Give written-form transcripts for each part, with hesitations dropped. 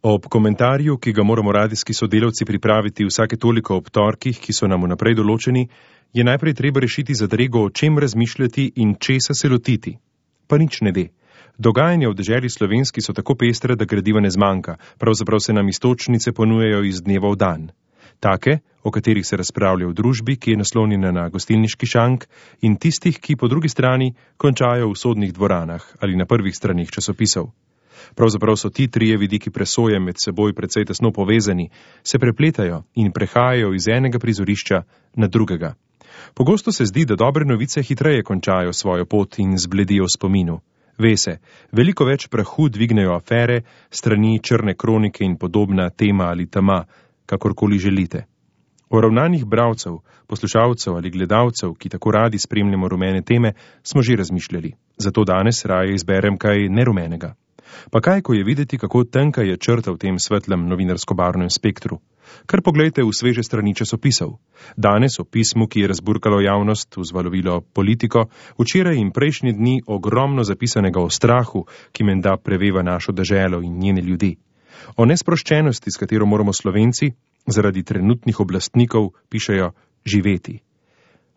Ob komentarju, ki ga moramo radijski sodelavci pripraviti vsake toliko ob torkih, ki so nam vnaprej določeni, je najprej treba rešiti zadrego, o čem razmišljati in česa se lotiti. Pa nič ne de. Dogajanja v deželi slovenski so tako pestre, da gradiva ne zmanjka, pravzaprav se nam iztočnice ponujajo iz dneva v dan. Take, o katerih se razpravlja v družbi, ki je naslonjena na gostilniški šank, in tistih, ki po drugi strani končajo v sodnih dvoranah ali na prvih stranih časopisov. Pravzaprav so ti trije vidiki presoje med seboj precej tesno povezani, se prepletajo in prehajajo iz enega prizorišča na drugega. Pogosto se zdi, da dobre novice hitreje končajo svojo pot in zbledijo v spominu. Ve se, veliko več prahu dvignejo afere, strani črne kronike in podobna tema ali tema, kakorkoli želite. O ravnanjih bralcev, poslušalcev ali gledalcev, ki tako radi spremljamo rumene teme, smo že razmišljali. Zato danes raje izberem kaj nerumenega. Pa kaj, ko je videti, kako tenka je črta v tem svetlem novinarsko-barvnem spektru? Kar poglejte v sveže strani časopisov. Danes o pismu, ki je razburkalo javnost, vzvalovilo politiko, včeraj in prejšnji dni ogromno zapisanega o strahu, ki menda preveva našo deželo in njene ljudi. O nesproščenosti, s katero moramo Slovenci, zaradi trenutnih oblastnikov, pišejo, živeti.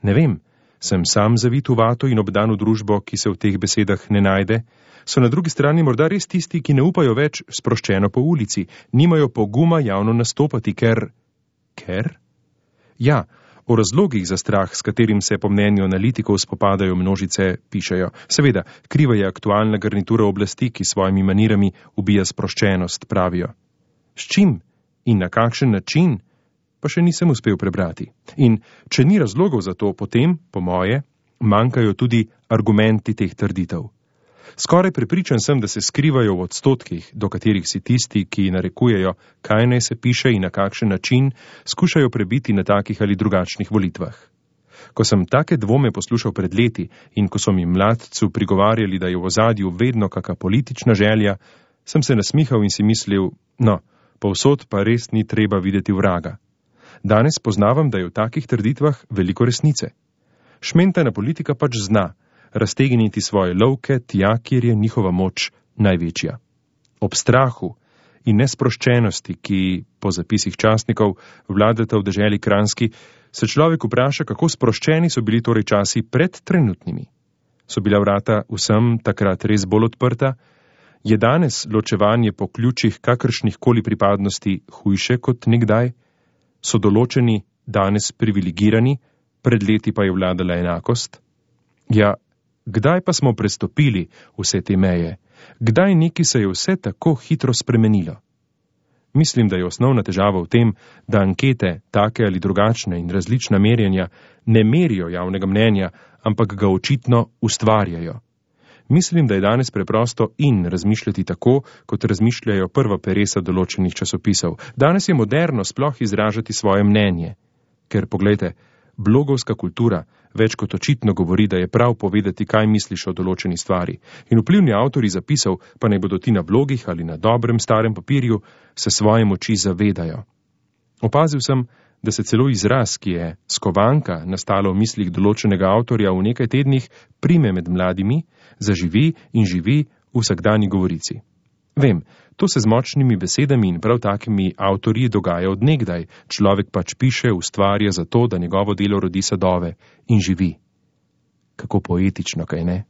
Ne vem, sem sam zavit v vato in obdan v družbo, ki se v teh besedah ne najde? So na drugi strani morda res tisti, ki ne upajo več sproščeno po ulici, nimajo poguma javno nastopati, ker... Ker? Ja, o razlogih za strah, s katerim se po mnenju analitikov spopadajo množice, pišejo. Seveda, kriva je aktualna garnitura oblasti, ki svojimi manirami ubija sproščenost, pravijo. S čim in na kakšen način, pa še nisem uspel prebrati. In če ni razlogov za to, potem, po moje, manjkajo tudi argumenti teh trditev. Skoraj prepričan sem, da se skrivajo v odstotkih, do katerih si tisti, ki narekujejo, kaj naj se piše in na kakšen način, skušajo prebiti na takih ali drugačnih volitvah. Ko sem take dvome poslušal pred leti in ko so mi mladcu prigovarjali, da je v ozadju vedno kaka politična želja, sem se nasmihal in si mislil, no, povsod pa res ni treba videti vraga. Danes poznavam, da je v takih trditvah veliko resnice. Šmentana politika pač zna raztegniti svoje lovke tja, kjer je njihova moč največja. Ob strahu in nesproščenosti, ki po zapisih časnikov vladata v deželi Kranjski, se človek vpraša, kako sproščeni so bili torej časi pred trenutnimi. So bila vrata vsem takrat res bolj odprta? Je danes ločevanje po ključih kakršnih koli pripadnosti hujše kot nekdaj? So določeni danes privilegirani, pred leti pa je vladala enakost? Ja, kdaj pa smo prestopili vse te meje? Kdaj neki se je vse tako hitro spremenilo? Mislim, da je osnovna težava v tem, da ankete, take ali drugačne in različna merjenja, ne merijo javnega mnenja, ampak ga očitno ustvarjajo. Mislim, da je danes preprosto in razmišljati tako, kot razmišljajo prva peresa določenih časopisov. Danes je moderno sploh izražati svoje mnenje. Ker, poglejte, blogovska kultura več kot očitno govori, da je prav povedati, kaj misliš o določeni stvari. In vplivni avtori zapisov, pa naj bodo ti na blogih ali na dobrem starem papirju, se svoje moči zavedajo. Opazil sem, da se celo izraz, ki je skovanka nastala v mislih določenega avtorja v nekaj tednih, prime med mladimi, zaživi in živi v vsakdanji govorici. Vem, to se z močnimi besedami in prav takimi avtorji dogaja od nekdaj. Človek pač piše, ustvarja zato, da njegovo delo rodi sadove in živi. Kako poetično, kaj ne?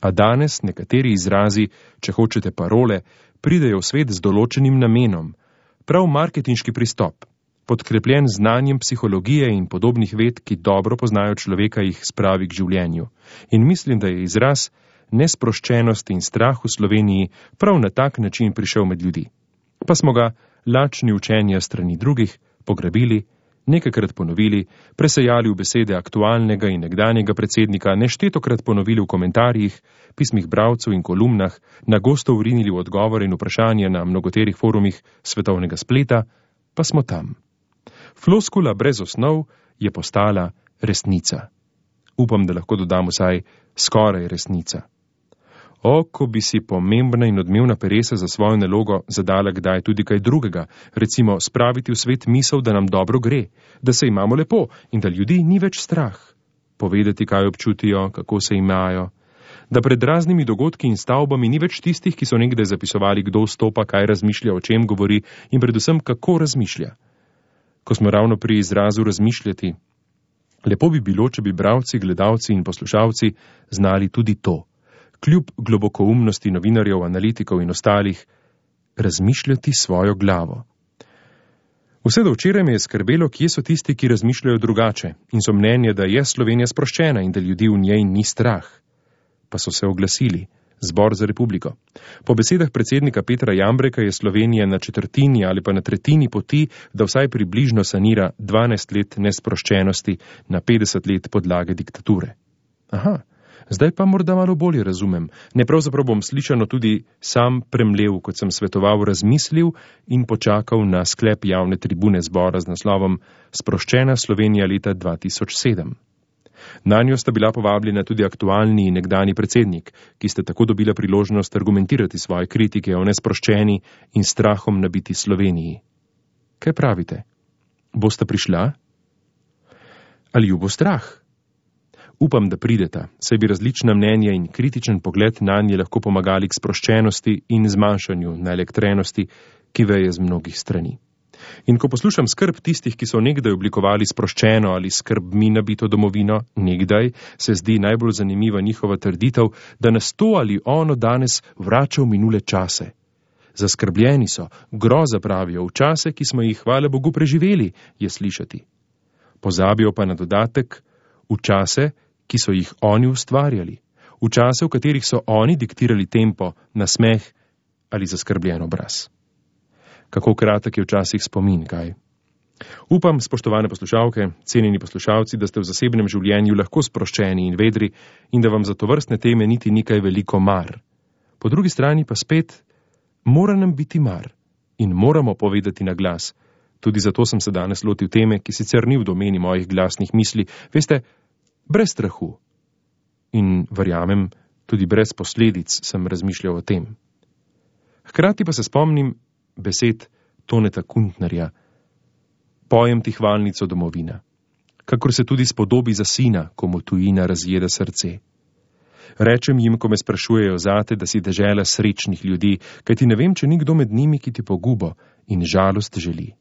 A danes nekateri izrazi, če hočete parole, pridejo v svet z določenim namenom. Prav marketinški pristop, podkrepljen znanjem psihologije in podobnih ved, ki dobro poznajo človeka, jih spravi k življenju. In mislim, da je izraz nesproščenost in strah v Sloveniji prav na tak način prišel med ljudi. Pa smo ga, lačni učenja strani drugih, pograbili, nekajkrat ponovili, presejali v besede aktualnega in nekdanjega predsednika, neštetokrat ponovili v komentarjih, pismih bralcev in kolumnah, nagosto vrinili v odgovore in vprašanja na mnogoterih forumih svetovnega spleta, pa smo tam. Floskula brez osnov je postala resnica. Upam, da lahko dodam vsaj skoraj resnica. O, ko bi si pomembna in odmevna peresa za svojo nalogo zadala kdaj tudi kaj drugega, recimo spraviti v svet misel, da nam dobro gre, da se imamo lepo in da ljudi ni več strah. Povedati, kaj občutijo, kako se imajo, Da pred raznimi dogodki in stavbami ni več tistih, ki so nekdaj zapisovali, kdo vstopa, kaj razmišlja, o čem govori in predvsem, kako razmišlja. Ko smo ravno pri izrazu razmišljati, lepo bi bilo, če bi bralci, gledalci in poslušalci znali tudi to, kljub globokoumnosti novinarjev, analitikov in ostalih, razmišljati svojo glavo. Vse do včeraj me je skrbelo, kje so tisti, ki razmišljajo drugače in so mnenje, da je Slovenija sproščena in da ljudi v njej ni strah. Pa so se oglasili, Zbor za republiko. Po besedah predsednika Petra Jambreka je Slovenija na četrtini ali pa na tretjini poti, da vsaj približno sanira 12 let nesproščenosti na 50 let podlage diktature. Aha, zdaj pa morda malo bolje razumem. Ne, pravzaprav bom slišano tudi sam premlev, kot sem svetoval, razmislil in počakal na sklep javne tribune zbora z naslovom Sproščena Slovenija leta 2007. Nanjo sta bila povabljena tudi aktualni in nekdani predsednik, ki sta tako dobila priložnost argumentirati svoje kritike o nesproščeni in strahom nabiti Sloveniji. Kaj pravite? Bosta prišla? Ali ju bo strah? Upam, da prideta, saj bi različna mnenja in kritičen pogled nanje lahko pomagali k sproščenosti in zmanjšanju naelektrenosti, ki veje z mnogih strani. In ko poslušam skrb tistih, ki so nekdaj oblikovali sproščeno ali skrbmi nabito domovino, nekdaj se zdi najbolj zanimiva njihova trditev, da nas to ali ono danes vrača v minule čase. Zaskrbljeni so, groza pravijo, v čase, ki smo jih, hvala Bogu, preživeli, je slišati. Pozabijo pa na dodatek, v čase, ki so jih oni ustvarjali, v čase, v katerih so oni diktirali tempo, nasmeh ali zaskrbljen obraz. Kako kratek je včasih spomin, kaj? Upam, spoštovane poslušalke, cenjeni poslušalci, da ste v zasebnem življenju lahko sproščeni in vedri in da vam za tovrstne teme niti ni kaj veliko mar. Po drugi strani pa spet, mora nam biti mar in moramo povedati na glas. Tudi zato sem se danes lotil teme, ki sicer ni v domeni mojih glasnih misli, veste, brez strahu. In verjamem, tudi brez posledic sem razmišljal o tem. Hkrati pa se spomnim besed Toneta Kuntnerja, pojem ti hvalnico domovina, kakor se tudi spodobi za sina, ko mu tujina razjeda srce. Rečem jim, ko me sprašujejo zate, da si dežela srečnih ljudi, kajti ne vem, če ni kdo med njimi, ki ti pogubo in žalost želi.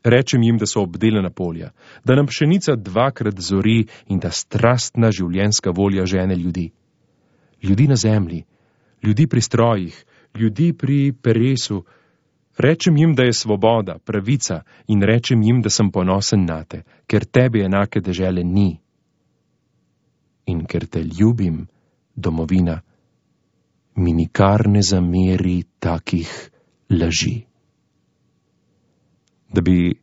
Rečem jim, da so obdelana polja, da nam pšenica dvakrat zori in da strastna življenjska volja žene ljudi. Ljudi na zemlji, ljudi pri strojih, ljudi pri peresu. Rečem jim, da je svoboda, pravica in rečem jim, da sem ponosen nate, ker tebi enake dežele ni. In ker te ljubim, domovina, mi nikar ne zameri takih laži. Da bi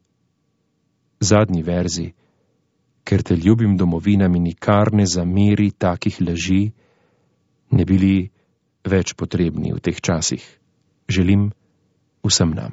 zadnji verzi, ker te ljubim, domovina, mi nikar ne zameri takih laži, ne bili več potrebni v teh časih. Želim vsem nam.